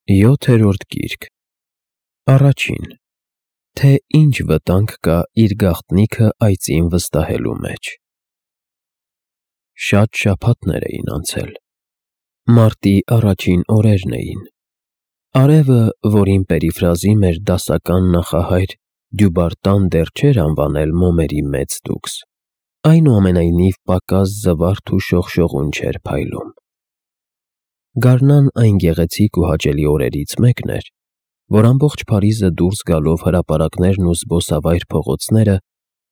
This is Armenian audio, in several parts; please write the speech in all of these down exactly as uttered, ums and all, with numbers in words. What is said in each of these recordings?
Յոթերորդ գիրք, առաջին, թե ինչ վտանգ կա իր գաղտնիքը այծին վստահելու մեջ։ Շատ շաբաթներ էին անցել, մարտի առաջին օրերն էին, արևը, որին պերիֆրազի մեր դասական նախահայր Դյուբարտան դեռ չէր անվանել մոմերի մեծ դուքս, այնուամենայնիվ պակաս զվարթ ու շողշողուն չէր փայլում։ Գարնան այն գեղեցիկ ու հաճելի օրերից մեկն էր, որ ամբողջ Փարիզը դուրս գալով հրապարակներն ու զբոսավայր փողոցները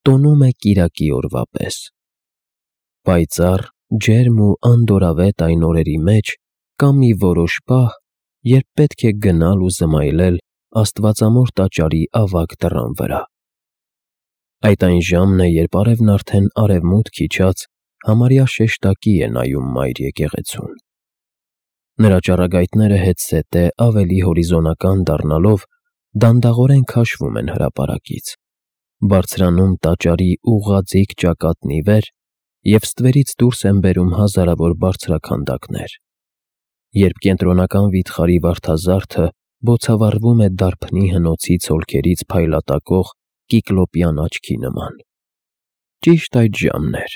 տոնում է կիրակի օրվա պես։ Պայծառ, ջերմ ու անդորրավետ այն օրերի մեջ կա մի որոշ պահ, երբ պետք է գնալ ու զմայլել Աստվածամոր տաճարի ավագ դռան վրա։ Այդ այն ժամն է, երբ արևն արդեն արևմուտք իջած համարյա շեշտակի է նայում մայր եկեղեցուն։ Նրա ճառագայթները հետզհետե ավելի հորիզոնական դառնալով դանդաղորեն քաշվում են հրապարակից, բարձրանում տաճարի ուղղաձիգ ճակատն ի վեր և ստվերից դուրս են բերում հազարավոր բարձրաքանդակներ, երբ կենտրոնական վիթխարի վարդազարդը բոցավառվում է դարբնի հնոցի ցոլքերից փայլատակող կիկլոպյան աչքի նման։ Ճիշտ այդ ժամն էր։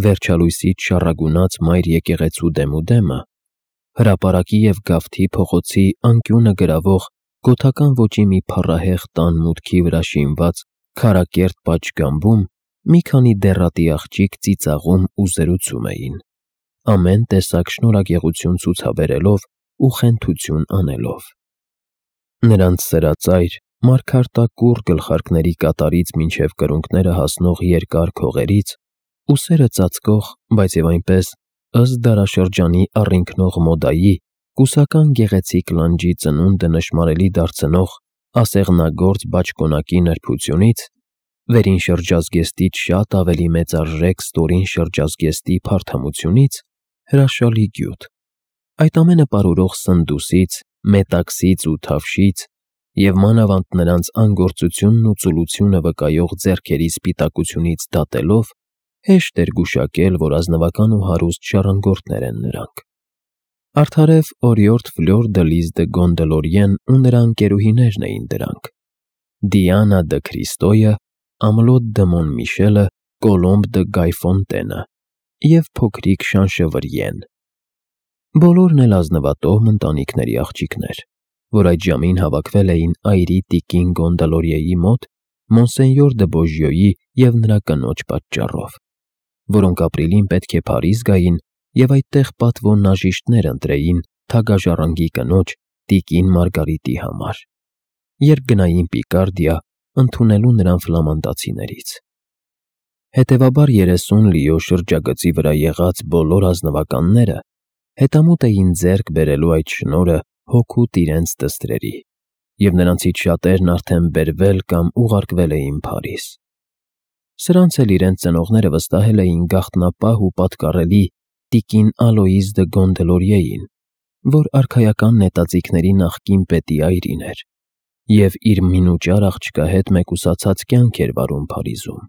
Վերջալույսից շառագունած մայր եկեղեցու դեմուդեմը, հրապարակի և գավթի փողոցի անկյունը գրավող գոթական ոճի մի փառահեղ տան մուտքի վրա շինված քարակերտ պատշգամբում մի քանի դեռատի աղջիկ ծիծաղում ու զրուցում էին, ամեն տեսակ շնորհագեղություն ցուցաբերելով ու խենթություն անելով։ Նրանց սրածայր, մարգարտակուռ գլխարկների կատարից մինչև կրունկները հասնող երկար քողերից, ուսերը ծածկող, բայց և այնպես, ըստ դարաշրջանի առինքնող մոդայի, կուսական գեղեցիկ լանջի ծնունդը նշմարելի դարձնող ասեղնագործ բաճկոնակի նրբությունից, վերին շրջազգեստից շատ ավելի մեծարժեք ստորին շրջազգեստի փարթամությունից, հրաշալի գյուտ, այդ ամենը պարուրող սնդուսից, մետաքսից ու թավշից և մանավանդ նրանց անգործությունն ու ծուլությունը վկայող ձեռքերի սպիտակությունից դատելով, հեշտ էր գուշակել, որ ազնվական ու հարուստ ժառանգորդներ են նրանք։ Արդարև օրիորդ Ֆլյոր դը Լիզ դը Գոնդելորիեն ու նրա ընկերուհիներն էին դրանք. Դիանա դը Քրիստոյը, Ամլոտ դը Մոնմիշելը, Կոլոմբ դը Գայֆոնտենը և փոքրիկ Շանշևրիեն։ Բոլորն էլ ազնվատոհ ընտանիքների աղջիկներ, որ այդ ժամին հավաքվել էին այրի տիկին Գոնդալորիեի մոտ Մոնսենյոր դը Բոժյոյի և նրա կնոջ պատճառով, որոնք ապրիլին պետք է Փարիզ գային և այդտեղ պատվո նաժիշտներ ընտրեին թագաժառանգի կնոջ տիկին Մարգարիտի համար, երբ գնային Պիկարդիա ընդունելու նրան ֆլամանդացիներից։ Հետևաբար երեսուն լիո շրջագծի վրա եղած բոլոր ազնվականները հետամուտ էին ձեռք բերելու այդ շնորհը հօգուտ իրենց դստրերի, և նրանցից շատերն արդեն բերվել կամ ուղարկվել էին Փարիզ։ Սրանց էլ իրենց ծնողները վստահել էին գաղտնապահ ու պատկառելի տիկին Ալոիզ դը Գոնդելորիեին, որ արքայական նետաձիգների նախկին պետի այրին էր և իր մինուճար աղջկա հետ մեկուսացած կյանք էր վարում Փարիզում,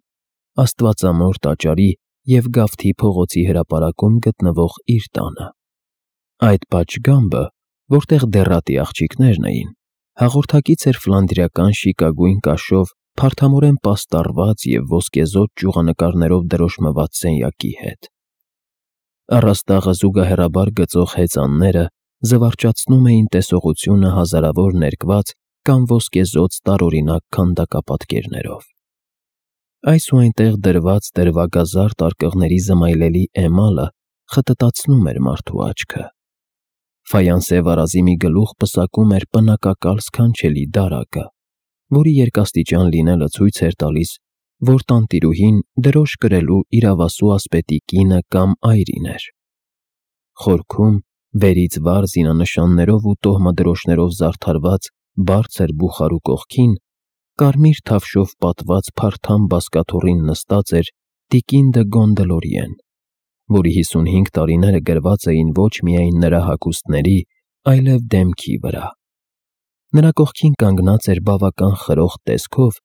Աստվածամոր տաճարի և Գավթի փողոցի հրապարակում գտնվող իր տանը։ Այդ պատշգամբը, որտեղ դեռատի աղջիկներն էին, հաղորդակից էր ֆլանդրիական շիկագույն կաշով փարթամորեն պաստառված և ոսկեզօծ ճյուղանկարներով դրոշմված սենյակի հետ։ Առաստաղը զուգահեռաբար գծող հեծանները զվարճացնում էին տեսողությունը հազարավոր ներկված կամ ոսկեզօծ տարօրինակ քանդակապատկերներով։ Այս ու այնտեղ դրված դրվագազարդ արկղների զմայլելի էմալը խտտացնում էր մարդու աչքը։ Ֆայանսե վարազի մի գլուխ պսակում էր պնակակալ սքանչելի դարակը, որի երկաստիճան լինելը ցույց էր տալիս, որ տանտիրուհին դրոշ կրելու իրավասու ասպետի կինը կամ այրին էր։ Խորքում, վերից վար զինանշաններով ու տոհմադրոշներով զարդարված բարձր բուխարու կողքին, կարմիր թավշով պատված փարթամ բազկաթոռին նստած էր տիկին դը Գոնդելորիեն, որի հիսունհինգ տարիները գրված էին ոչ միայն նրա հագուստների, այլև դեմքի վրա։ Նրա կողքին կանգնած էր բավական խրոխտ տեսքով,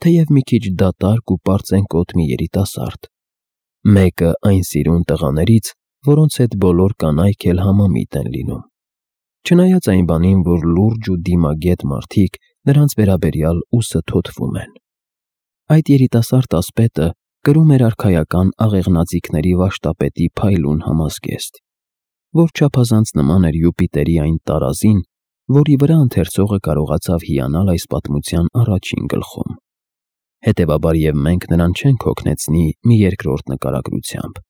թեև մի քիչ դատարկ ու պարծենկոտ մի երիտասարդ, մեկը այն սիրուն տղաներից, որոնց հետ բոլոր կանայք էլ համամիտ են լինում։ չնայած այն բանին, որ լուրջ ու դիմագետ մարդիկ նրանց վերաբերյալ ուսը թոթվում են։ Այդ երիտասարդ ասպետը կրում էր արքայական աղեղնաձիգների վաշտապետի փայլուն համազգեստ, որ չափազանց նման էր Յուպիտերի այն տարազին, որի վրա ընթերցողը կարողացավ հիանալ այս պատմության առաջին գլխում։ Հետևաբար և մենք նրան չենք հոգնեցնի մի երկրորդ նկարագրությամբ։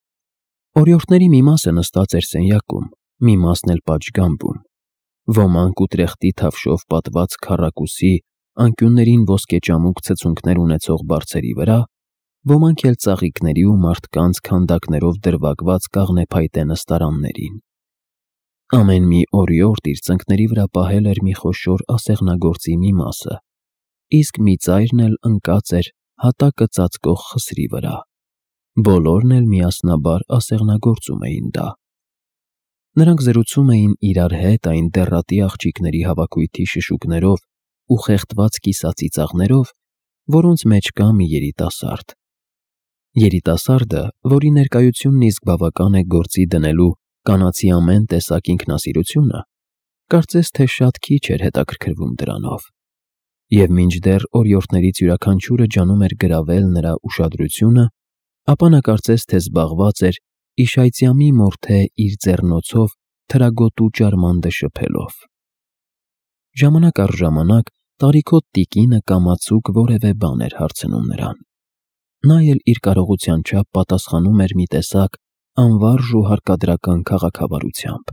Օրիորդների մի մասը նստած էր սենյակում, մի մասն էլ պատշգամբում։ Ոմանք ուտրեխտի թավշով պատված քառակուսի, անկյուններին ոսկեճամուկ ցցունքներ ունեցող բարձերի վրա, ոմանք էլ ծաղիկների ու մարդկանց քանդակներով դրվագված կաղնեփայտե նստարաններին։ Ամեն մի օրիորդ իր ծնկների վրա պահել էր մի խոշոր ասեղնագործի մի մասը, իսկ մի ծայրն էլ ընկած էր հատակը ծածկող խսրի վրա։ Բոլորն էլ միասնաբար ասեղնագործում էին դա։ Նրանք զրուցում էին իրար հետ այն դեռատի աղջիկների հավաքույթի շշուկներով ու խեղդված կիսացի ծաղներով, որոնց մեջ կա մի երիտասարդ։ Երիտասարդը, որի ներկայությունն իսկ բավական է գործի դնելու կանացի ամեն տեսակ ինքնասիրությունը, կարծես թե շատ քիչ էր հետաքրքրվում դրանով, և մինչդեռ օրիորդներից յուրաքանչյուրը ջանում էր գրավել նրա ուշադրությունը, ապա նա կարծես թե զբաղված էր իշայծյամի մորթե իր ձեռնոցով թրագոտու ջարմանդը շփելով։ Ժամանակ առ ժամանակ տարիքոտ տիկինը կամացուկ որևէ բան էր հարցնում նրան։ Նա էլ իր կարողության չափ պատասխանում էր մի տեսակ անվարժ ու հարկադրական քաղաքավարությամբ։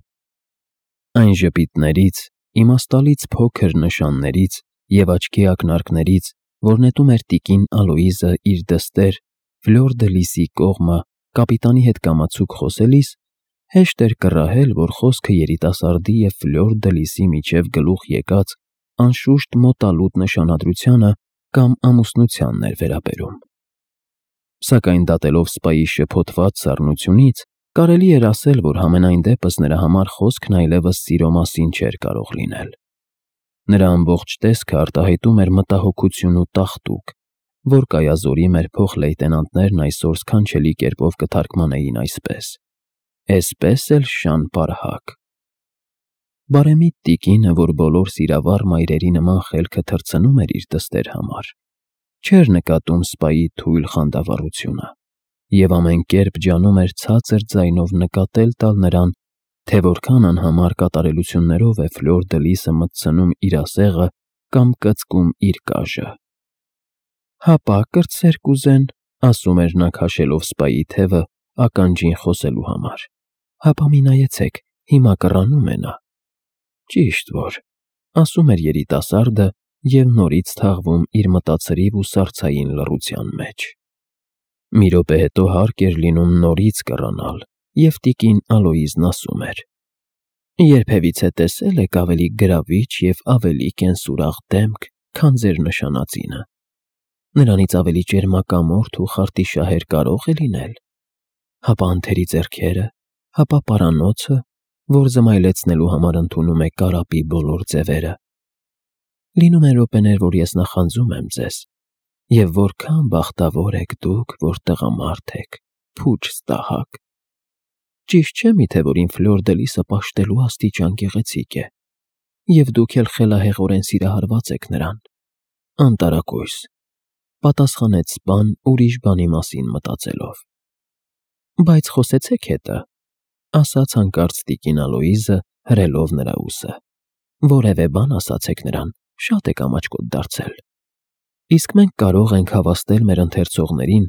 Այն ժպիտներից, իմաստալից փոքր նշաններից և աչքի ակնարկներից, որ նետում էր տիկին Ալոիզը իր դստեր Ֆլյուր դը Լիսի կողմը կապիտանի հետ կամացուկ խոսելիս, հեշտ էր կռահել, որ խոսքը երիտասարդի և Ֆլյուր դը Լիսի միջև գլուխ եկած անշուշտ մոտալուտ նշանադրությանը կամ ամուսնությանն էր վերաբերում։ Սակայն դատելով սպայի շփոթված սառնությունից, կարելի էր ասել, որ համենայն դեպս նրա համար խոսքն այլևս սիրո մասին չէր կարող լինել։ Նրա ամբողջ տեսքը արտահայտում էր մտահոգություն ու տաղտուկ, որ կայազորի մեր փոխլեյտենանտներն այսօր սքանչելի կերպով կթարգմանեին այսպես. «Էսպես էլ շան պարհակ»։ Բարեմիտ տիկինը, որ բոլոր սիրավառ մայրերի նման խելքը թռցնում էր իր դստեր համար, չէր նկատում սպայի թույլ խանդավառությունը և ամեն կերպ ջանում էր ցածր ձայնով նկատել տալ նրան, թե որքան անհամար կատարելություններով է Ֆլյուր դը Լիսը մտցնում իր ասեղը կամ կծկում իր կաժը։ «Հապա, կրտսեր կուզեն», ասում էր նա քաշելով սպայի թևը ականջին խոսելու համար։ «Հապա մի նայեցեք, հիմա կռանում է նա»։ Ճիշտ որ, ասում էր երիտասարդը և նորից թաղվում իր մտածրիվ ու սառցային լռության մեջ։ Մի րոպե հետո հարկ էր լինում նորից կռանալ, և տիկին Ալոիզն ասում էր. «Երբևիցե տեսե՞լ եք ավելի գրավիչ և ավելի կենսուրախ դեմք, քան ձեր նշանածինը։ Նրանից ավելի ճերմակամորթ ու խարտիշահեր կարո՞ղ է լինել։ Հապա անթերի ձեռքերը, հապա պարանոցը, որ զմայլեցնելու համար ընդունում է կարապի բոլոր ձևերը։ Լինում են րոպեներ, որ ես նախանձում եմ ձեզ, և որքան բախտավոր եք դուք, որ տղամարդ եք, փուչ ստահակ։ Ճիշտ չէ՞ միթե, որ իմ Ֆլյուր դը Լիսը պաշտելու աստիճան գեղեցիկ է, և դուք էլ խելահեղորեն սիրահարված եք նրան»։ «Անտարակույս», պատասխանեց սպան ուրիշ բանի մասին մտածելով։ «Բայց խոսեցեք հետը», ասաց հանկարծ տիկին Ալոիզը, հրելով նրա ուսը։ «Որևէ բան ասացեք նրան, շատ եք ամաչկոտ դարձել։ Իսկ մենք կարող ենք հավաստել մեր ընթերցողներին,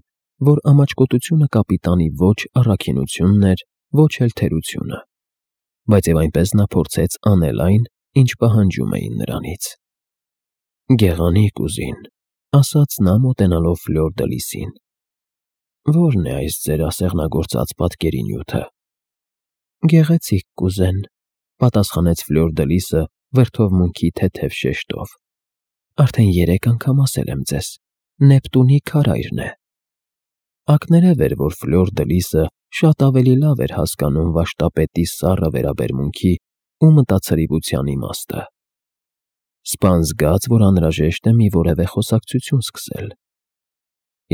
որ ամաչկոտությունը կապիտանի ոչ առաքինությունն էր, ոչ էլ թերությունը, բայց և այնպես նա փորձեց անել այն, ինչ պահանջում էին նրանից»։ «Գեղանիկ ուզին», ասաց նա մոտենալով Ֆլյուր դը Լիսին։ «Ո՞րն է այս ձեր ասեղնագործած պատկերի նյութը»։ «Գեղեցիկ կուզեն», պատասխանեց Ֆլյուր դը Լիսը վրդովմունքի թեթև շեշտով։ «Արդեն երեք անգամ ասել եմ ձեզ, Նեպտունի քարայրն է»։ Ակներև էր, որ Ֆլյուր դը Լիսը շատ ավելի լավ էր հասկանում վաշտապետի սառը վերաբերմունքի ու մտածրիվության իմաստը։ Սպան զգաց, որ անհրաժեշտ է մի որևէ խոսակցություն սկսել։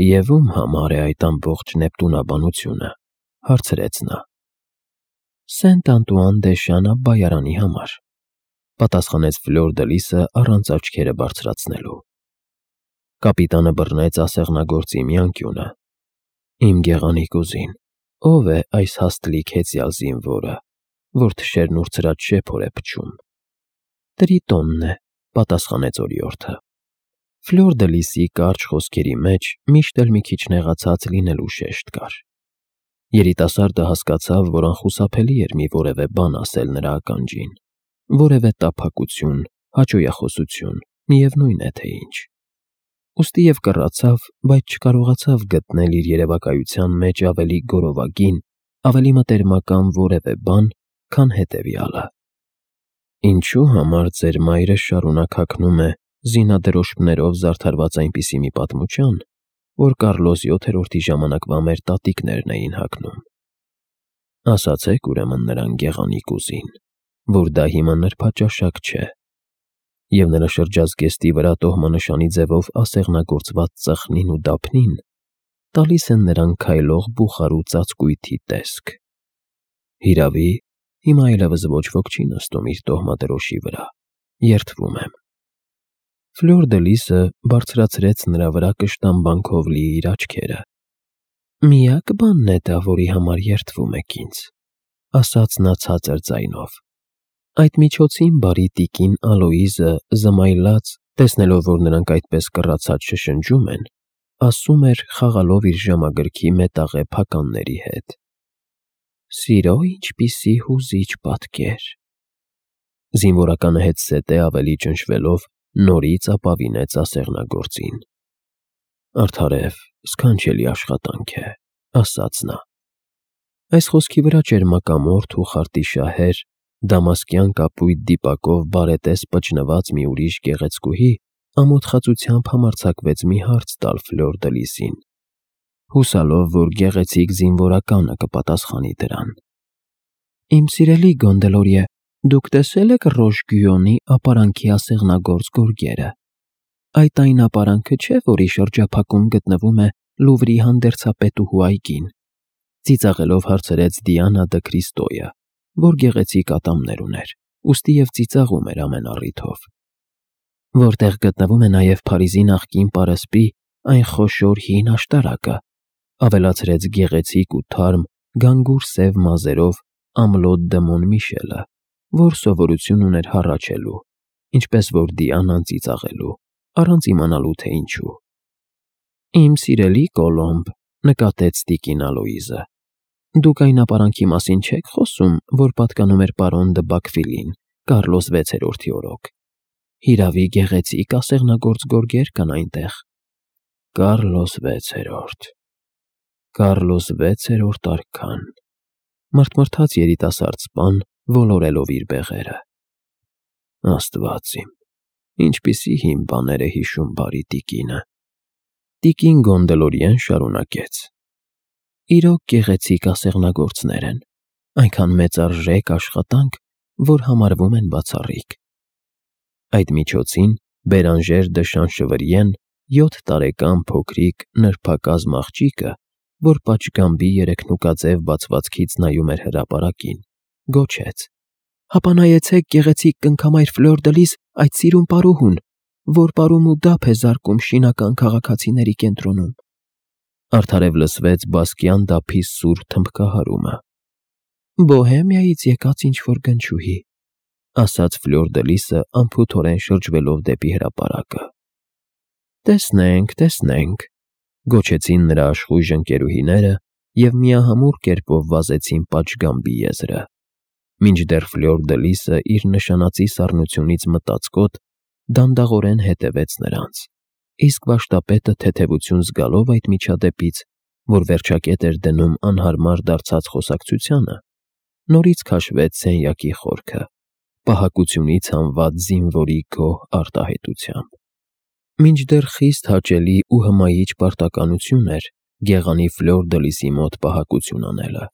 «Եվ ում համար է այդ ամբողջ նեպտունաբանությունը», հարցրեց նա։ «Սենտ Անտուան դե Շան Աբբայարանի համար», պատասխանեց Ֆլյուր դե Լիսը առանց աչքերը բարձրացնելու։ Կապիտանը բռնեց ասեղնագործի մի անկյունը։ Իմ գեղանիկ ուզին, ով է այս հաստլիկ հեծյալ զինվորը, որ թշերն ուրցրած շեփոր է փչում։ Տրիտոնն է, պատասխանեց օրիորդը։ Ֆլյուր դե Լիսի կարճ խոսքերի մեջ միշտ էլ մի քիչ նեղացած լինելու շեշտ կար։ Երիտասարդը հասկացավ, որ անխուսափելի էր մի որևէ բան ասել նրա ականջին, որևէ տափակություն, հաճոյախոսություն, միևնույն է թե ինչ։ Ուստի և կռացավ, բայց չկարողացավ գտնել իր երևակայության մեջ ավելի գորովագին, ավելի մտերմական որևէ բան, քան հետևյալը. Ինչու համար ձեր մայրը շարունակ հագնում է զինադրոշմներով զարդարված այնպիսի մի պատմության, որ Կարլոս յոթերորդի ժամանակվա մեր տատիկներն էին հագնում։ Ասացեք ուրեմն նրան գեղանիկ ուզին, որ դա հիմա նրբաճաշակ չէ, և նրա շրջազգեստի վրա տոհմանշանի ձևով ասեղնագործված ծխնին ու դափնին տալիս են նրան քայլող բուխարու ծածկույթի տեսք։ Հիրավի, հիմա այլևս ոչ ոք չի նստում իր տոհմադրոշի վրա, երդվում եմ։ Ֆլյուր դե Լիսը բարձրացրեց նրա վրա կշտամբանքով լի իր աչքերը։ Միակ բանն է դա, որի համար երդվում եք ինձ, ասաց նա ցածր ձայնով։ Այդ միջոցին բարի տիկին Ալոիզը զմայլած, տեսնելով, որ նրանք այդպես կռացած շշնջում են, ասում էր, խաղալով իր ժամագրքի մետաղե փականների հետ. Սիրո ինչպիսի հուզիչ պատկեր։ Զինվորականը հետզհետե ավելի ճնշվելով նորից ապավինեց ասեղնագործին։ Արդարև, սքանչելի աշխատանք է, ասաց նա։ Այս խոսքի վրա ճերմակամորթ ու խարտիշահեր, դամասկյան կապույտ դիպակով բարետես պճնված մի ուրիշ գեղեցկուհի ամոթխածությամբ համարձակվեց մի հարց տալ Ֆլյուր դե Լիսին, հուսալով, որ գեղեցիկ զինվորականը կպատասխանի դրան։ Իմ սիրելի Գոնդելորիե, դուք տեսե՞լ եք Ռոշ Գյուոնի ապարանքի ասեղնագործ գորգերը։ Այդ այն ապարանքը չէ, որի շրջափակում գտնվում է Լուվրի հանդերձապետուհու այգին, ծիծաղելով հարցրեց Դիանա դը Քրիստոյը, որ գեղեցիկ ատամներ ուներ, ուստի և ծիծաղում էր ամեն առիթով։ Որտեղ գտնվում է նաև Փարիզի նախկին պարսպի այն խոշոր հին աշտարակը, ավելացրեց գեղեցիկ ու թարմ գանգուր սև մազերով Ամլոտ դը Մոնմիշելը, որ սովորություն ուներ հառաչելու, ինչպես որ Դիանան ծիծաղելու, առանց իմանալու թե ինչու։ Իմ սիրելի Կոլոմբ, նկատեց տիկին Ալոիզը, դուք այն ապարանքի մասին չեք խոսում, որ պատկանում էր պարոն դը Բաքվիլին, Կարլոս վեցերորդի օրոք։ Հիրավի գեղեցիկ ասեղնագործ գորգեր կան այնտեղ։ Կարլոս վեցերորդ, Կարլոս վեցերորդ արքան, մրթմրթաց երիտասարդ սպան, ոլորելով իր բեղերը։ Աստված իմ, ինչպիսի հին բաներ է հիշում բարի տիկինը։ Տիկին Գոնդելորիեն շարունակեց. Իրոք գեղեցիկ ասեղնագործներ են, այնքան մեծարժեք աշխատանք, որ համարվում են բացառիկ։ Այդ միջոցին Բերանժեր դը Շանշվրիեն, յոթ տարեկան փոքրիկ նրբակազմ աղջիկը, որ պատշգամբի երեքնուկաձև բացվածքից նայում էր հրապարակին, գոչեց. Հապա նայեցեք գեղեցիկ կնքամայր Ֆլյուր դե Լիս այդ սիրուն պարուհուն, որ պարում ու դափ է զարկում շինական քաղաքացիների կենտրոնում։ Արդարև լսվեց բասկյան դափի սուր թմբկահարումը։ Բոհեմիայից եկած ինչ-որ գնչուհի, ասաց Ֆլյուր դե Լիսը անփութորեն շրջվելով դեպի հրապարակը։ Տեսնենք, տեսնենք, գոչեցին նրա աշխույժ ընկերուհիները և միահամուռ կերպով վազեցին պատշգամբի եզրը, մինչդեռ Ֆլյուր դե Լիսը իր նշանածի սառնությունից մտածկոտ դանդաղորեն հետևեց նրանց, իսկ վարժտապետը թեթևություն զգալով այդ միջադեպից, որ վերջակետ էր դնում անհարմար դարձած խոսակցությանը, նորից քաշվեց սենյակի խորքը, պահակությունից հանված զինվորի գոհ արտահայտությամբ։ Մինչդեռ խիստ հաճելի ու հմայիչ պարտականություն էր գեղանի Ֆլյուր դե Լիսի մոտ պահակություն անելը,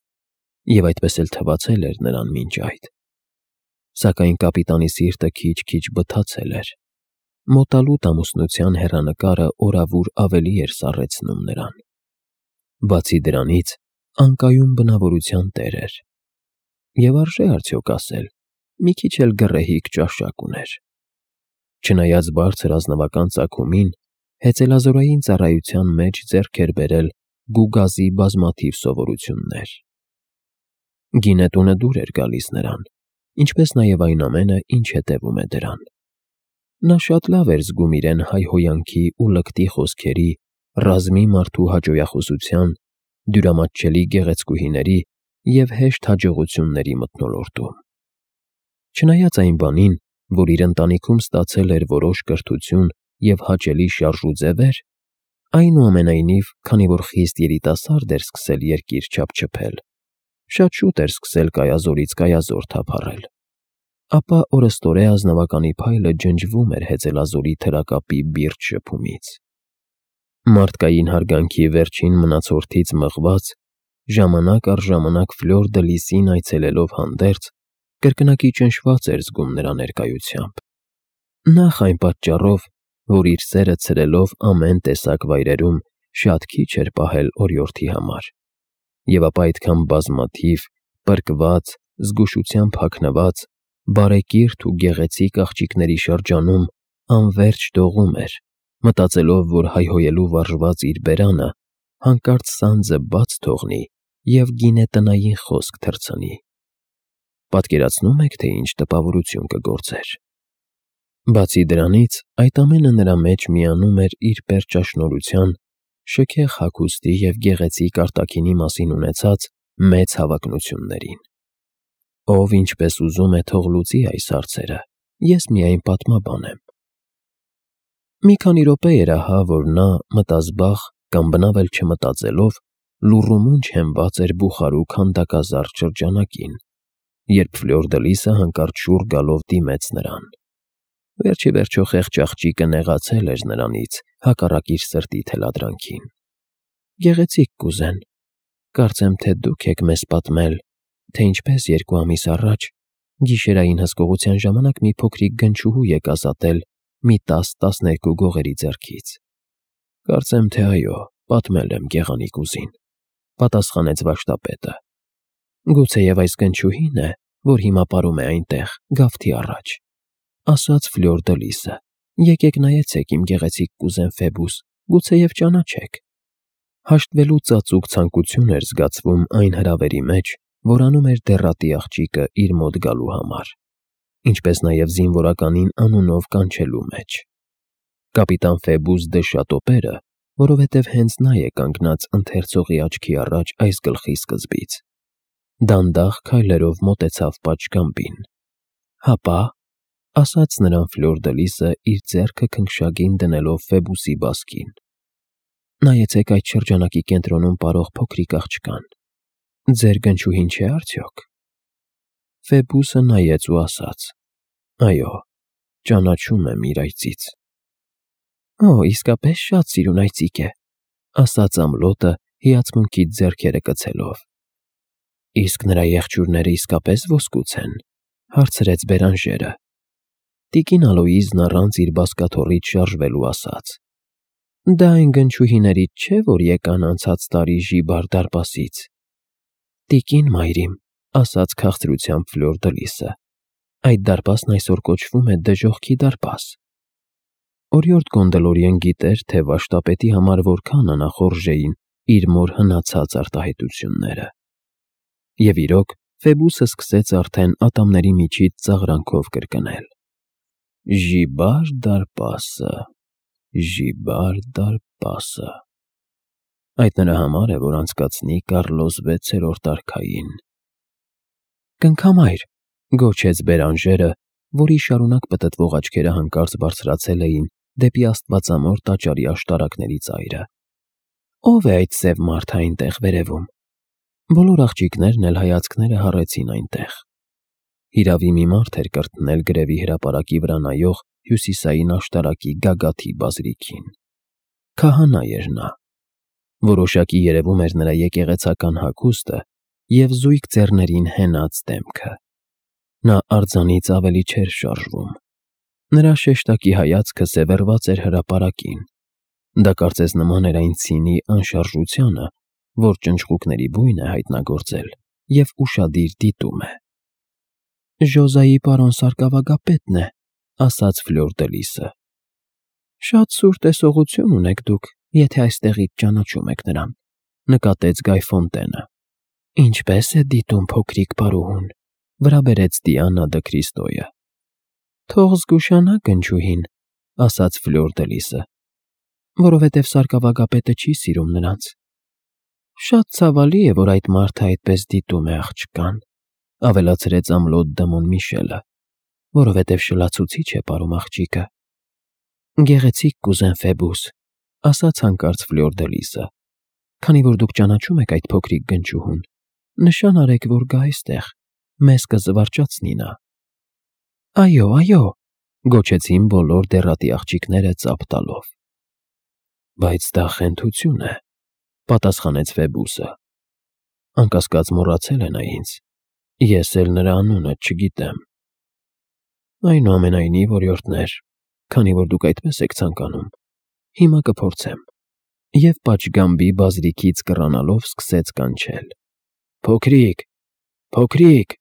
և այդպես էլ թվացել էր նրան մինչ այդ։ Սակայն կապիտանի սիրտը քիչ-քիչ բթացել էր։ Մոտալուտ ամուսնության հեռանկարը օրավուր ավելի էր սառեցնում նրան։ Բացի դրանից, անկայուն բնավորության տեր էր։ Եվ արժե արդյոք ասել, մի քիչ էլ գռեհիկ ճաշակ ուներ։ Չնայած բարձր ազնվական ծագումին, հեծելազորային ծառայության մեջ ձեռք էր բերել գուգազի բազմաթիվ սովորություններ։ Գինետունը դուր էր գալիս նրան, ինչպես նաև այն ամենը, ինչ հետևում է դրան։ Նա շատ լավ էր զգում իրեն հայհոյանքի ու լկտի խոսքերի, ռազմի մարդու հաճոյախոսության, դյուրամատչելի գեղեցկուհիների և հեշտ հաջողությունների մթնոլորտում։ Չնայած այն բանին, որ իր ընտանիքում ստացել էր որոշ կրթություն և հաճելի շարժուձևեր, այնուամենայնիվ, քանի որ խիստ երիտասարդ էր սկսել երկիր չափչփել, շատ շուտ էր սկսել կայազորից կայազոր թափառել, ապա օրըստօրե ազնվականի փայլը ջնջվում էր հեծելազորի թրակապի բիրտ շփումից։ Մարդկային հարգանքի վերջին մնացորդից մղված, ժամանակ առ ժամանակ Ֆլյուր դը Լիսին այցելելով հանդերձ, կրկնակի ճնշված էր զգում նրա ներկայությամբ։ Նախ այն պատճառով, որ իր սերը ցրելով ամեն տեսակ վայրերում շատ քիչ էր պահել օրիորդի համար, և ապա այդքան բազմաթիվ, պրկված, զգուշությամբ հագնված, բարեկիրթ ու գեղեցիկ աղջիկների շրջանում անվերջ դողում էր, մտածելով, որ հայհոյելու վարժված իր բերանը հանկարծ սանձը բաց թողնի և գինետնային խոսք թռցնի։ Պատկերացնո՞ւմ եք, թե ինչ տպավորություն կգործեր։ Բացի դրանից, այդ ամենը նրա մեջ միանում էր իր պերճաշնորհության, շքեղ հագուստի և գեղեցիկ արտաքինի մասին ունեցած մեծ հավակնություններին։ Ով ինչպես ուզում է, թող լուծի այս հարցերը, ես միայն պատմաբան եմ։ Մի քանի րոպե էր ահա, որ նա, մտազբաղ կամ բնավ էլ չմտածելով, լուռումունջ հենված էր բուխարու քանդակազարդ շրջանակին, երբ Ֆլյուր դը Լիսը հանկարծ շուռ գալով դիմեց նրան։ Վերջ ի վերջո խեղճ աղջիկը նեղացել էր նրանից, հակառակ իր սրտի թելադրանքին։ Գեղեցիկ կուզեն, կարծեմ թե դուք եք մեզ պատմել, թե ինչպես երկու ամիս առաջ, գիշերային հսկողության ժամանակ մի փոքրիկ գնչուհու եք ազատել մի տաս֊տասներկու գողերի ձեռքից։ Կարծեմ թե այո, պատմել եմ գեղանիկ ուզին, պատասխանեց վարժապետը։ Գուցեև այս գնչուհին է, որ հիմա ապարում է այնտեղ, գավթի առաջ, ասաց Ֆլյուր դը Լիսը։ Եկեք նայեցեք իմ գեղեցիկ կուզեն Ֆեբուս, գուցեև ճանաչեք։ Հաշտվելու ծածուկ ցանկություն էր զգացվում այն հրավերի մեջ, որ անում էր դեռատի աղջիկը իր մոտ գալու համար, ինչպես նաև զինվորականին անունով կանչելու մեջ։ Կապիտան Ֆեբուս դը Շատոպերը, որովհետև հենց նա է կանգնած ընթերցողի աչքի առաջ այս գլխի սկզբից, դանդաղ քայլերով մոտեցավ պատշգամբին։ Հապա, ասաց նրան Ֆլյուր դը Լիսը իր ձեռքը քնքշագին դնելով Ֆեբուսի բազկին։ Նայեցեք այդ շրջանակի կենտրոնում պարող փոքրիկ աղջկան։ Ձեր գնչուհին չէ՞ արդյոք։ Ֆեբուսը նայեց ու ասաց. Այո, ճանաչում եմ իր այծից։ Օ, իսկապես շատ սիրուն այծիկ է, ասաց ամլոտը հիացմունքից ձեռքերը կցելով։ Իսկ նրա եղջյուրները իսկապես ոսկուց են, հարցրեց Բերանժերը։ Տիկին Ալոիզն առանց իր բազկաթոռից շարժվելու ասաց. Դա այն գնչուհիներից չէ, որ եկան անցած տարի Ժիբար դարպասից։ Տիկին մայրիմ, ասաց քաղցրությամբ Ֆլյուր դը Լիսը, այդ դարպասն այսօր կոչվում է Դժոխքի դարպաս։ Օրիորդ Գոնդոլորիեն գիտեր, թե վարժապետի համար որքան անախորժ էին իր մոր հնացած արտահայտությունները։ Եվ իրոք, Ֆեբուսը սկսեց արդեն ատամների միջից ծաղրանքով կրկնել. Ժիբար դարպասը, Ժիբար դարպասը։ Այդ նրա համար է, որ անցկացնի Կառլոս վեցերորդ արքային։ Կնքամայր, գոչեց Բերանժերը, որի շարունակ պտտվող աչքերը հանկարծ բարձրացել էին դեպի աստվածամոր տաճարի աշտարակների ծայրը։ Ո՞վ է այդ սև մարդը այնտեղ վերևում։ Բոլոր աղջիկներն էլ հայացքները հառեցին այնտեղ։ Հիրավի մի մարդ էր կրտնել գրևի հրապարակի վրա նայող հյուսիսային աշտարակի գագաթի բազրիքին։ Քահանա էր նա։ Որոշակի երևում էր նրա եկեղեցական հագուստը և զույգ ձեռներին հենած դեմքը։ Նա արձանից ավելի չէր շարժվում։ Նրա շեշտակի հայացքը սևեռված էր հրապարակին։ Դա կարծես նման էր այն ցինի անշարժությանը, որ ճնճղուկների բույն է հայտնագործել և ուշադիր դիտում է։ Ժոզայի պարոն սարկավագապետն է, ասաց Ֆլյուր դը Լիսը։ Շատ սուր տեսողություն ունեք դուք, եթե այստեղից ճանաչում եք նրան, նկատեց Գայ Ֆոնտենը։ Ինչպե՞ս է դիտում փոքրիկ պարուհուն, վրա բերեց Դիանա դը Քրիստոյը։ Թող զգուշանա գնչուհին, ասաց Ֆլյուր դը Լիսը, որովհետև սարկավագապետը չի սիրում նրանց։ Շատ ցավալի է, որ այդ մարդը այդպես դիտում է աղջկան, ավելացրեց ամլոտ Դմոն Միշելը, որովհետև շլացուցիչ է պարում աղջիկը։ Գեղեցիկ կուզեն Ֆեբուս, ասաց հանկարծ Ֆլյուր դը Լիսը, քանի որ դուք ճանաչում եք այդ փոքրիկ գնչուհուն, նշան արեք, որ գա այստեղ, մեզ կզվարճացնի նա։ Այո, այո, գոչեցին բոլոր դեռատի աղջիկները ծափ տալով։ Բայց դա խենթություն է, պատասխանեց Ֆեբուսը։ Անկասկած մոռացել է նա ինձ, ես էլ նրա անունը չգիտեմ։ Այնուամենայնիվ, օրիորդներ, քանի որ դուք այդպես եք ցանկանում, հիմա կփորձեմ։ Եվ պատշգամբի բազրիքից կռանալով սկսեց կանչել. Փոքրիկ, փոքրիկ,